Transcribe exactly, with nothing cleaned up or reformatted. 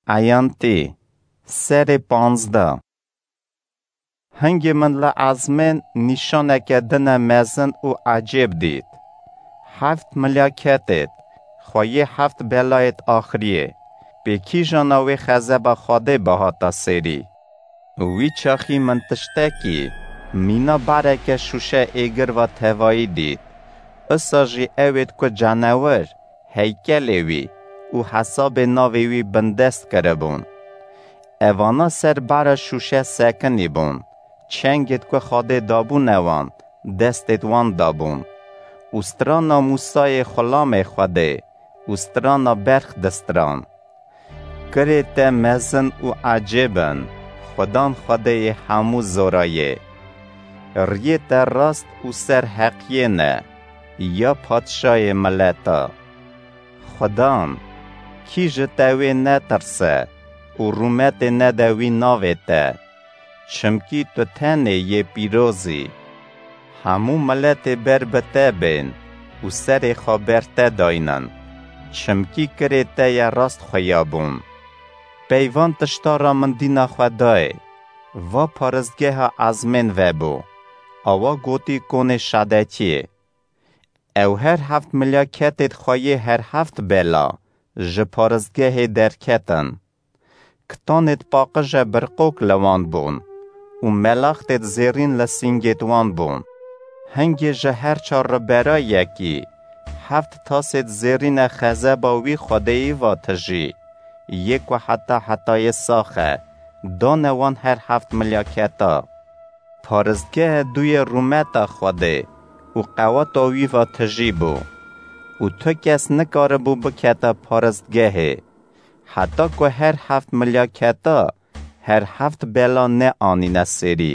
Eyantî, serê panzdeh. Hingê min li ezmên nîşaneke din e mezin û ecêb dît. Heft milya ketêt, xweyê heft belayêt axiriyê, pê kîjana wê xezeba Xwedê bihata sêrî. Wî çaxî min tiştekî mîna bareke şûşe êgir va tevayî dît. Isa jî ewêt ku canewir, heykelê wî û hesabê navê wî bindest kiribûn. Evana ser bara şûşe sekinî bûn, çengêt ku Xwedê dabûne wan, destêt wan dabûn. Û strana Mûsayê xulamê Xwedê û strana berx distiran. Kirê te mezin û ecêb in, Xudan Xwedêyê hemû zorayê. Riyê te rast û ser heqiyê ne, ya padşayê mileta. Xudan, kî ji te wê netirse û rûmetê nede wî navê te? Çimkî tu tenê yê pîroz î. Hemû miletê ber bi te bên û serê xwe ber te daynin, çimkî kirê te ye rast xuya bûn. Pey van tişta ra min dîna xwe dayê, va paristgeha ezmên vebû, awa gotî konê şadetiyê. Ew her heft milya ketêt xweyê her heft bela ji paristgehê derketin. Kitanêt paqije birqok li wan bûn û melaxtêt zêrîn li sîngêt wan bûn. Hingê ji her çar ribera yekî heft tasêt zêrîne xezeba wî Xwedêyî va tijî, yê ku heta hetayê sax e, dane wan her heft milya keta. Paristgehe dûyê rûmeta Xwedê û qeweta wî va tijî bû û tu kes nikaribû bikete paristgehê, heta ku her heft milya keta her heft bela neanîne sêrî.